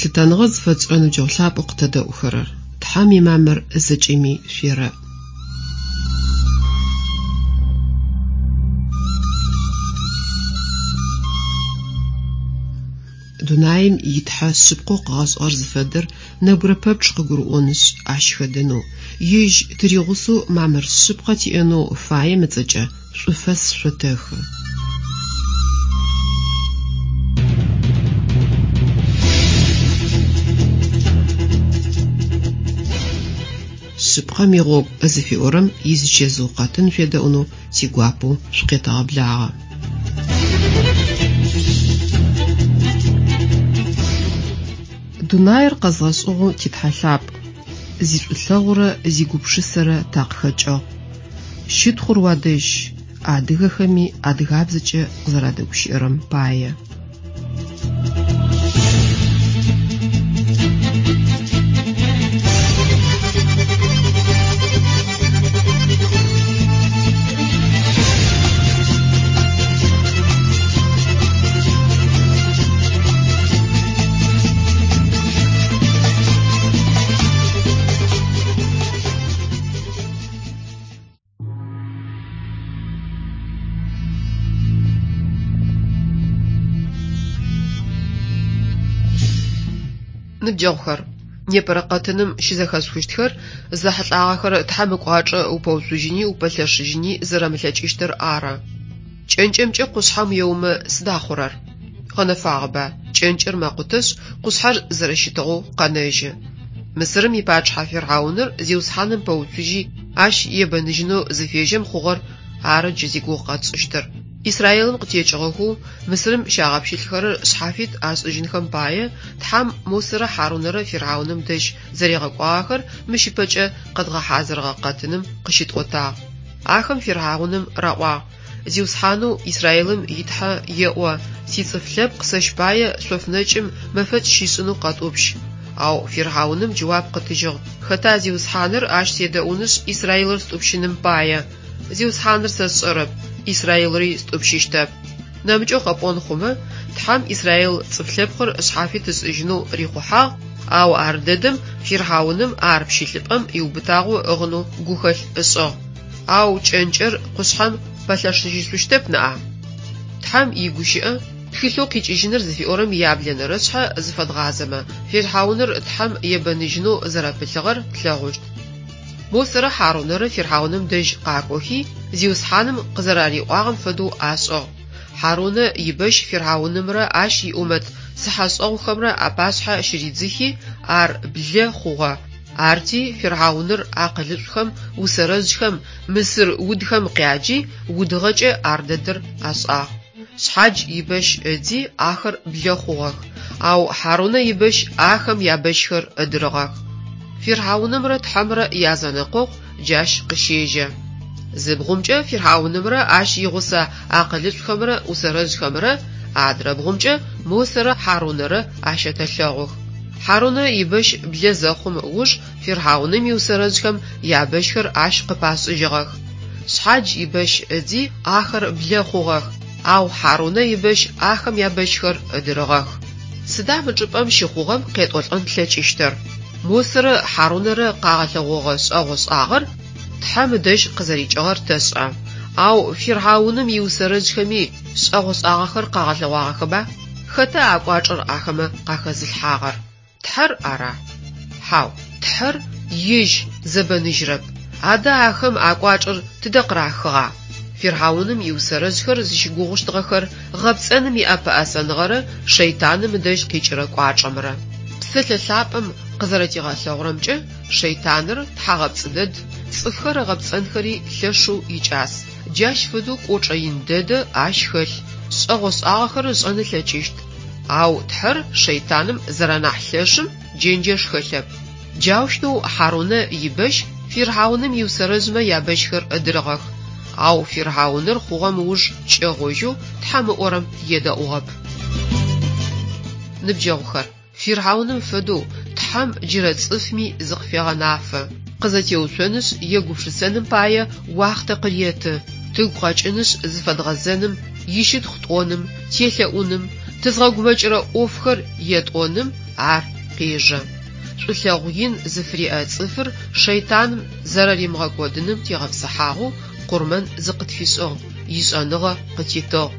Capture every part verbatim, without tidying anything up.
Лъытэныгъэ зыфэтшӏырэ ныбджэгъу лъапӏэу къытэдэӏухэрэр! Тхьэм имамыр зэкӏэми шъуерэӏ. Дунаим итхьэ шъыпкъэу къыгъэшӏыгъэр зыфэдэр нэбгырэ пэпчъ къыгурыӏонышъ, ащ хэдэнэу, ежь тыригъусэу мамыр шъыпкъэ тиӏэнэу фаем ыцӏэкӏэ шӏуфэс шъотэхы. Шъыпкъэм игъогу зыфиӏорэм изычэзыу къэтын шъуедэӏунэу тигуапэу шъукъетэгъэблагъэ. Дунаир къэзгъэшӏыгъэу титхьэ лъапӏ, зишӏулъэгъурэ зигупшысэрэ такъыхэкӏыгъ. Щытхъур уадэжь, адыгэхэми адыгабзэкӏэ къызэрадэгущыӏэрэм пае. Ныбджэгъухэр, непэрэ къэтыным щызэхэшъухыщтхэр зэхьылӏагъэхэр Тхьэм ыкӏуачӏэ упэуцужьыни упэлъэшыжьыни зэрэмылъэкӏыщтыр ары. Кӏэнкӏэмкӏэ къушъхьэм уеомэ сыда хъурэр? Гъэнэфагъэба, кӏэнкӏэр мэкъутэшъ, къушъхьэр зэрэщытыгъэу къэнэжьы. Мысырым ипачъыхьэ Фирхьауныр Зиусхьаным пэуцужьи, ащ ебэныжьынэу зыфежьэм хъугъэр ары джы зигугъу къэтшӏыщтыр. Израилым къытекӏыгъэхэу Мысырым щагъэпщылӏхэрэр шъхьафит ашӏыжьынхэм пае Тхьэм Мосэрэ Хьарунэрэ Фирхьауным дэжь зэригъэкӏуагъэхэр мыщ ыпэкӏэ къэдгъэхьазырыгъэ къэтыным къыщытӏотагъ. Ахэм Фирхьауным раӏуагъ: Зиусхьанэу Израилым итхьэ еӏо: «Сицӏыф лъэпкъ сэщ пае шъофнэкӏым мэфэкӏ щишӏынэу къэтӏупщ». Ау Фирхьауным джэуап къытыжьыгъ: «Хэта Зиусхьаныр ащ седэӏунышъ Израилыр стӏупщыным пае? Зиусхьаныр сэ сшӏэрэп, Израилри стӏупщыщтэп». Нэмыкӏэу къэпӏон хъумэ, Тхьэм Израил цӏыф лъэпкъыр шъхьафит ышӏыжьынэу рихъухьагъ, ау ар дэдэм Фирхьауным ар пщылӏыпӏэм иубытагъэу ыӏыгъынэу гухэлъ ышӏыгъ. Ау кӏэнкӏэр къушъхьэм пэлъэшыжьышъущтэп ныӏа? Тхьэм игущыӏэ тхылъэу къикӏыжьыныр зыфиӏорэм яблэнэрэ шъхьэ зыфэдгъазэмэ, Фирхьауныр Тхьэм ебэныжьынэу зэрэпылъыгъэр тлъэгъущт. Мосэрэ Хьарунэрэ Фирхьауным дэжь къакӏохи, Зиусхьаным къызэрариӏуагъэм фэдэу ашӏыгъ. Хьарунэ ибэщ Фирхьаунымрэ ащ иӏумэт цыхьэшӏэгъухэмрэ апашъхьэ щыридзыхи, ар блэ хъугъэ. Арти Фирхьауныр акъылышӏухэм, усэрэжъхэм, мысыр удхэм къяджи, удыгъэкӏэ ар дэдэр ашӏагъ. Шъхьадж ибэщ ыдзи, ахэр блэ хъугъэх, ау Хьарунэ ибэщ ахэм ябэщхэр ыдырыгъэх. Фирхьаунымрэ Тхьэмрэ язэнэкъокъу джащ къыщежьэ. Зы бгъумкӏэ Фирхьаунымрэ ащ игъусэ акъылышӏухэмрэ усэрэжъхэмрэ, адрэ бгъумкӏэ Мосэрэ Хьарунэрэ ащэтэлъэгъух. Хьарунэ ибэщ блэ зэхъум ыуж Фирхьауным иусэрэжъхэм ябэщхэр ащ къыпашӏыжьыгъэх. Шъхьадж ибэщ ыдзи, ахэр блэ хъугъэх, ау Хьарунэ ибэщ ахэм ябэщхэр ыдырыгъэх. Сыда мы чӏыпӏэм щыхъугъэм къетӏолӏэн тлъэкӏыщтыр? Мосэрэ Хьарунэрэ къагъэлъэгъогъэ шӏэгъо-шӏагъэр Тхьэм ыдэжь къызэрикӏыгъэр тэшӏэ. Ау Фирхьауным иусэрэжъхэми шӏэгъо-шӏагъэхэр къагъэлъэгъуагъэхэба? Хэта а кӏуачӏэр ахэмэ къахэзылъхьагъэр? Тхьэр ара? Хьау, Тхьэр ежь зэбэныжьырэп. Адэ ахэм а кӏуачӏэр тыдэ къырахыгъа? Фирхьауным иусэрэжъхэр зыщыгугъущтыгъэхэр гъэпцӏэным иӏэпэӏэсэныгъэрэ шэйтаным ыдэжь къикӏырэ кӏуачӏэмрэ. Псэлъэ лъапӏэм къызэрэтигъэлъэгъурэмкӏэ, шэйтаныр тхьагъэпцӏы дэд, цӏыфхэр ыгъэпцӏэнхэри лъэшэу икӏас. Джащ фэдэу кӏочӏэ ин дэдэ ащ хэлъ, шӏэгъо-шӏагъэхэр ышӏэн ылъэкӏыщт. Ау Тхьэр шэйтаным зэрэнахь лъэшым джэнджэш хэлъэп. Джаущтэу Хьарунэ ибэщ Фирхьауным иусэрэжъмэ ябэщхэр ыдырыгъэх. Ау Фирхьауныр хъугъэм ыуж кӏэгъожьэу Тхьэм ыӏорэм едэӏугъэп. Ныбджэгъухэр, Фирхьауным фэдэу Тхьэм джырэ цӏыфми зыкъыфегъэнафэ. Къызэтеуцонышъ егупшысэным пае уахътэ къыреты, тыгу къэкӏынышъ зыфэдгъэзэным, ищытхъу тӏоным, телъэӏуным, тызгъэгумэкӏырэ ӏофхэр етӏоным ар къежэ. Шӏулъэгъу ин зыфыриӏэ цӏыфыр шэйтаным зэрэримыгъэкӏодыным тегъэпсыхьагъэу къурмэн зыкъытфишӏыгъ, ишӏэныгъэ къытитыгъ.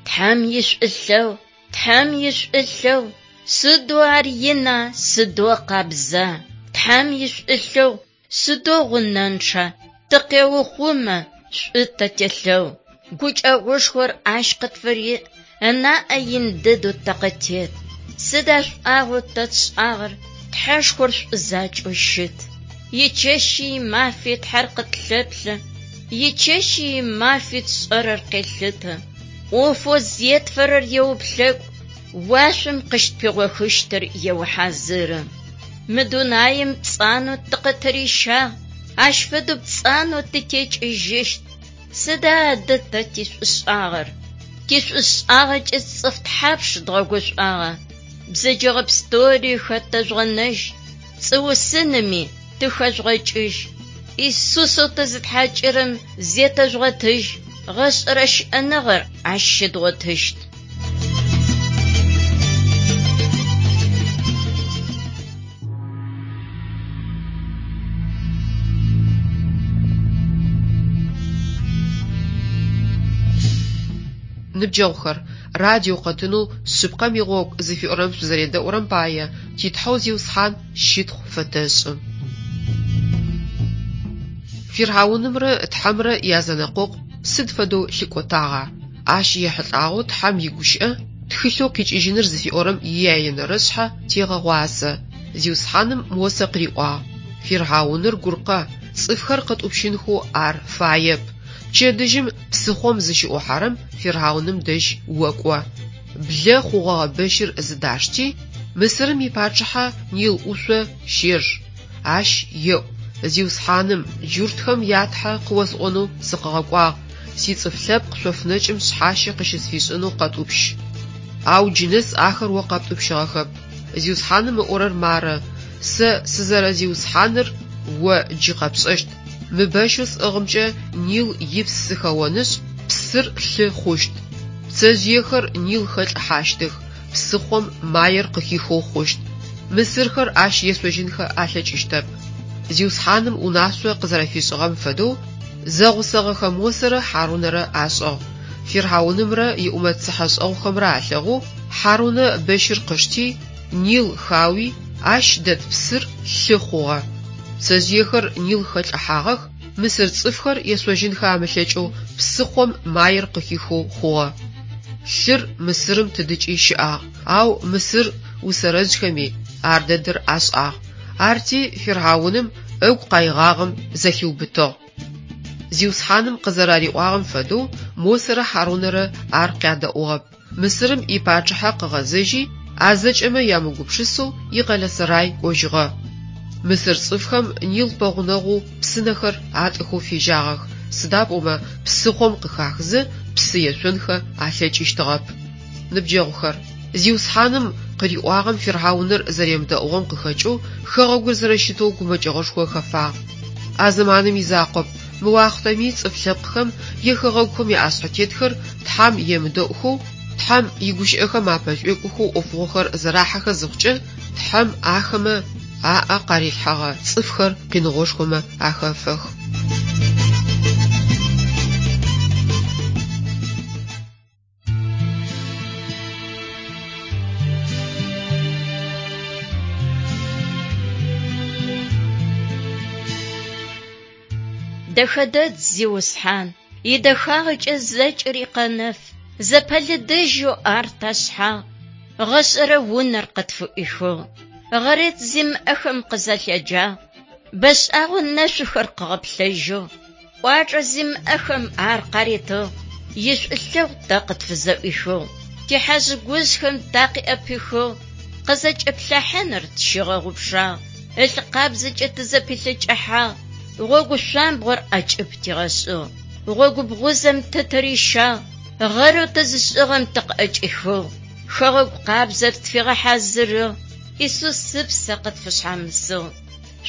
Тхьэм ишӏулъэгъу, Тхьэм ишӏулъэгъу, сыдэу ар ина, сыдэу къабза. Тхьэм ишӏулъэгъу, сыдэу гъунэнчъа, тыкъеухъумэ, шӏу тэ телъэгъу. Гукӏэгъушхор ащ къытфыриӏ, ынаӏэ ин дэдэу тэ къытет. Сыда шӏуагъэу тэ тшӏагъэр, Тхьэшхор шӏу закӏэу щыт. Ичэщи имафи Тхьэр къытлъэплъэ, ичэщи имафи тшӏэрэр къелъытэ. Ӏофэу зетфэрэр еуплъэкӏу, уашъом къыщытпигъохыщтыр еухьазыры. Мы дунаим пцӏанэу тыкъытырищагъ, ащ фэдэу пцӏанэу тытекӏыжьыщт. Сыда адэ тэ тишӏушӏагъэр? Тишӏушӏагъэкӏэ цӏыф тхьапш дгъэгушӏуагъа? Бзэджэгъэ пстэури хэтэжъугъэнэжь, пцӏыусыными тыхэжъугъэкӏыжь. Исусэу тызытхьакӏырэм зетэжъугъэтыжь, гъэшӏэрэ щыӏэныгъэр ащ щыдгъотыщт. Ныбджэгъухэр, радио къэтынэу «Шъыпкъэм игъогу» зыфиӏорэм шъузэредэӏурэм пае ти Тхьэу Зиусхьан щытхъу фэтэшӏы. Фирхьаунымрэ Тхьэмрэ язэнэкъокъу сыд фэдэу лъыкӏотагъа? Ащ ехьылӏагъэу Тхьэм игущыӏэ тхылъэу къикӏыжьыныр зыфиӏорэм ияенэрэ шъхьэ тегъэгъуазэ. Зиусхьаным Мосэ къыриӏуагъ: «Фирхьауныр гуркъэ, цӏыфхэр къытӏупщынхэу ар фаеп. Пчэдыжьым псыхъом зыщыӏухьэрэм фирхьауным дэжь окӏо. Блэ хъугъэгъэ бэщыр зыдашти, Мысырым ипачъыхьэ Нил ӏушъо щеж. Ащ еӏу: Зиусхьаным, джуртхэм я Тхьэ къыосӏонэу сыкъыгъэкӏуагъ, сицӏыф лъэпкъ шъофнэкӏым шъхьащэ къыщысфишӏынэу къэтӏупщ. Ау джынэс ахэр о къэптӏупщыгъэхэп. Зиусхьаным ыӏорэр мары: Сэ сызэрэзиусхьаныр о джы къэпшӏэщт. Мы бэщэу сӏыгъымкӏэ Нил ипс сыхэонышъ, псыр лъы хъущт. Пцэжъыехэр Нил хэлӏыхьащтых, псыхъом маер къыхихэу хъущт. Мысырхэр ащ ешъожьынхэ алъэкӏыщтэп. Зиусхьаным унашъо къызэрэфишӏыгъэм фэдэу зэгъусэгъэхэ Мосэрэ Хьарунэрэ ашӏыгъ. Фирхьаунымрэ иӏумэт цыхьэшӏэгъухэмрэ алъэгъоу Хьарунэ бэщыр къышти, Нил хауи, ащ дэт псыр лъы хъугъэ. Пцэжъыехэр Нил хэлӏыхьагъэх, мысыр цӏыфхэр ешъожьынхэ амылъэкӏэу псыхъом маер къыхихэу хъугъэ. Лъыр Мысырым тыдыкӏи щыӏагъ, ау мысыр усэрэжъхэми ар дэдэр ашӏагъ. Арти фирхьауным ыгу къаигъагъэм зэлъиубытыгъ. Зиусхьаным къызэрариӏуагъэм фэдэу Мосэрэ Хьарунэрэ ар къядэӏугъэп. Мысырым ипачъыхьэ къыгъэзэжьи, а зэкӏэмэ ямыгупшысэу икъэлэ-сэрай кӏожьыгъэ. Мысыр цӏыфхэм Нил пэгъунэгъоу псынэхэр атӏыхэу фежьагъэх, сыда пӏомэ псыхъом къыхахызэ псы ешъонхэ алъэкӏыщтыгъэп. Ныбджэгъухэр, Зиусхьаным къыриӏуагъэм фирхьауныр зэремыдэӏугъэм къыхэкӏэу хэгъэгур зэрэщытэу гумэкӏыгъэшхо хэфагъ. А зэманым изакъоп, мы уахътэми цӏыф лъэпкъхэм е хэгъэгухэм яӏэшъхьэтетхэр Тхьэм емыдэӏухэу, Тхьэм игущыӏэхэм апэшӏуекӏохэу ӏофыгъохэр зэрахьэхэ зыхъукӏэ, Тхьэм ахэмэ аӏэ къарилъхьэгъэ цӏыфхэр къиныгъошхомэ ахэфэх. Дэхэдэд, Зиусхьан, идэхагъэкӏэ зэкӏэри къэнэф, зэпэлыдэжьэу ар ташъхьагъ, гъэшӏэрэ унэр къытфыӏуихыгъ. Гъэрет зимыӏэхэм къызэлъэджагъ, бэшӏагъэу нэшъухэр къыгъэплъэжьыгъ, кӏуачӏэ зимыӏэхэм ар къаритыгъ, ишӏулъэгъу тэ къытфызэӏуихыгъ. Тихьажъ-гужъхэм такъыӏэпихыгъ, къызэкӏэплъахьыныр тщигъэгъупшагъ, ылъ къабзэкӏэ тызэпилъэкӏыхьагъ, гъогу шъуамбгъор ӏэкӏыб тигъэшӏыгъ, гъогу бгъузэм тытырищагъ, гъэрэу тызышӏыгъэм тыкъыӏэкӏихыгъ, хэгъэгу къабзэр тфигъэхьазырыгъ, Исус ыпсэ къытфышъхьамысыгъ.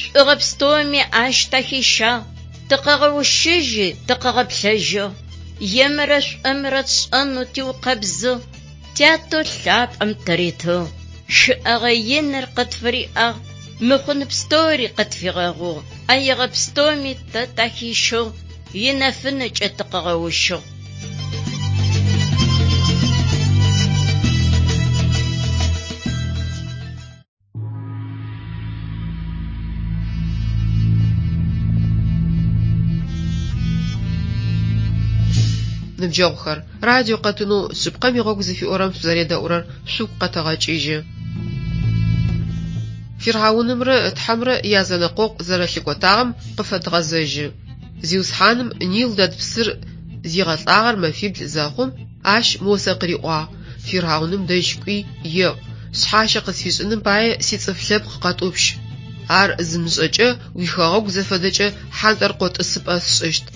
Шӏугъэ пстэуми ащ тахищагъ, тыкъыгъэущыжьи, тыкъыгъэплъэжьыгъ. Емрэ шӏумрэ тшӏэнэу тиукъэбзыгъ, Тятэу лъапӏэм тыритыгъ. Щыӏэгъэ иныр къытфыриӏагъ, мыхъун пстэури къытфигъэгъугъ, ӏэегъэ пстэуми тэ тахищыгъ, инэфынэкӏэ тыкъыгъэущыгъ. Ныбджэгъухэр, радио къэтынэу шъыпкъэм игъогу зыфиӏорэм шъузэредэӏурэр шъугу къэтэгъэкӏыжьы. Фирхьаунымрэ Тхьэмрэ язэнэкъокъу зэрэлъыкӏотагъэм къыфэдгъэзэжьы. Зиусхьаным Нил дэт псыр зигъэлӏагъэр мэфибл зэхъум, ащ Мосэ къыриӏуагъ: «Фирхьауным дэжь кӏуи еӏу: шъхьащэ къысфишӏыным пае сицӏыф лъэпкъ къэтӏупщ. Ар зымышӏэкӏэ уихэгъэгу зэфэдэкӏэ хьантӏэркъо тӏысыпӏэ сшӏыщт.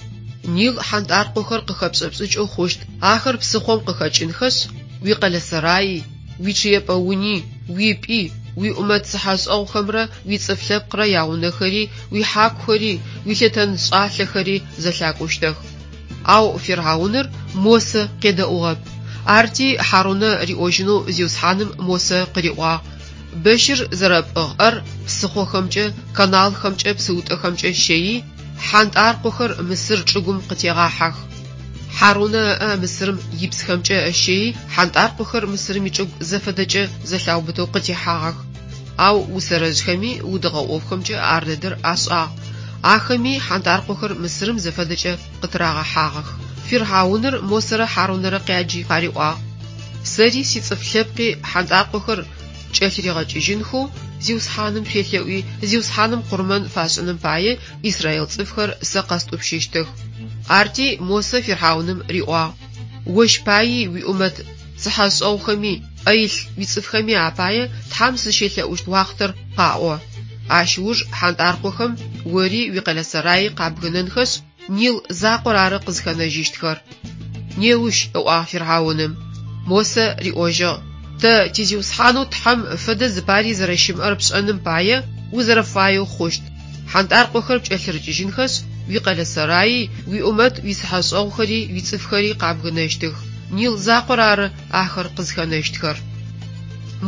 Нил хьантӏаркъохэр къыхэпшӏэпшӏыкӏэу хъущт, ахэр псыхъом къыхэкӏынхэшъ, уикъэлэсэраи, уичъыепӏэ уни, уипӏи, уиӏумэт цыхьэшӏэгъухэмрэ уицӏыф лъэпкърэ яунэхэри, уихьакухэри, уилъэтэншӏалъэхэри зэлъакӏущтых». Ау Фирхьауныр Мосэ къедэӏугъэп. Арти Хьарунэ риӏожьынэу Зиусхьаным Мосэ къыриӏуагъ: «Бэщыр зэрэпӏыгъ ӏэр псыхъохэмкӏэ, каналхэмкӏэ, псыутӏэхэмкӏэ щэий, хьантӏаркъохэр Мысыр чӏыгум къытегъахьэх». Хьарунэ ыӏэ Мысырым ипсхэмкӏэ ыщэий, хьантӏаркъохэр Мысырым ичӏыгу зэфэдэкӏэ зэлъаубытэу къытехьагъэх. Ау усэрэжъхэми удыгъэ ӏофхэмкӏэ ар дэдэр ашӏагъ. Ахэми хьантӏаркъохэр Мысырым зэфэдэкӏэ къытырагъэхьагъэх. Фирхьауныр Мосэрэ Хьарунэрэ къяджи къариӏуагъ: «Сэри сицӏыф лъэпкъи хьантӏаркъохэр кӏэлъыригъэкӏыжьынхэу Зиусхьаным шъуелъэӏуи, Зиусхьаным къурмэн фашӏыным пае Израил цӏыфхэр сэ къэстӏупщыщтых». Арти Мосэ Фирхьауным риӏуагъ: «Ощ паий уиӏумэт цыхьэшӏэгъухэми, ӏэ илъ уицӏыфхэми апае Тхьэм сызщелъэӏущт уахътэр къаӏо. Ащ ыуж хьантӏаркъохэм ори уикъэлэсэраи къабгынэнхэшъ, Нил закъор ары къызхэнэжьыщтхэр». «Неущ», ыӏуагъ Фирхьауным. Мосэ риӏожьыгъ: «Тэ ти Зиусхьанэу Тхьэм фэдэ зыпари зэрэщымыӏэр пшӏэным пае узэрэфаеу хъущт. Хьантӏаркъохэр пкӏэлъырыкӏыжьынхэшъ, уикъэлэсэраи, уиӏумэт уицыхьэшӏэгъухэри, уицӏыфхэри къабгынэщтых. Нил закъор ары ахэр къызхэнэщтхэр».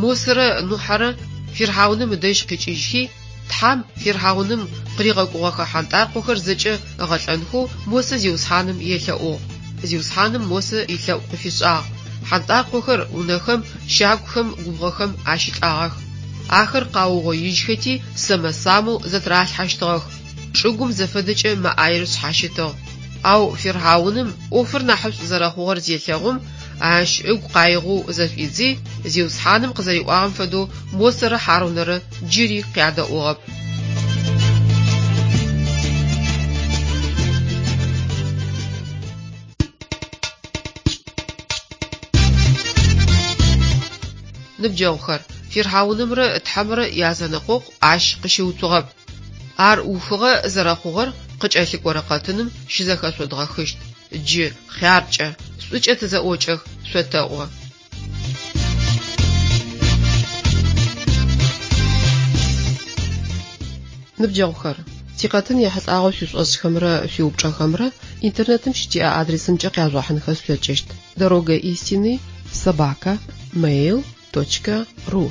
Мосэрэ Нухьэрэ Фирхьауным ыдэжь къикӏыжьхи, Тхьэм Фирхьауным къыригъэкӏугъэхэ хьантӏаркъохэр зэкӏэ ыгъэлӏэнхэу Мосэ Зиусхьаным елъэӏугъ. Зиусхьаным Мосэ илъэӏу къыфишӏагъ. Хьантӏаркъохэр унэхэм, щагухэм, губгъохэм ащылӏагъэх. Ахэр къаугъоижьхэти, сэмэ-самэу зэтыралъхьэщтыгъэх. Чӏыгум зэфэдэкӏэ мэ ӏаер шъхьащытыгъ. Ау Фирхьауным ӏофыр нахьышӏу зэрэхъугъэр зелъэгъум, ащ ыгу къаигъэу зэшӏуидзи, Зиусхьаным къызэриӏуагъэм фэдэу Мосэрэ Хьарунэрэ джыри къядэӏугъэп. Ныбджэгъухэр, Фирхьаунымрэ Тхьэмрэ язэнэкъокъу ащ къыщыуцугъэп. Ар ухыгъэ зэрэхъугъэр къыкӏэлъыкӏорэ къэтыным щызэхэшъодгъэхыщт. Джы хъяркӏэ, шӏукӏэ тызэӏокӏэх, шъотэӏо. Ныбджэгъухэр, тикъэтын ехьылӏагъэу шъуишӏошӏхэмрэ шъуиупчӏэхэмрэ интернетым щытиӏэ адресымкӏэ къяжъугъэхьынхэ шъулъэкӏыщт: дорога истины собака mail точка ру.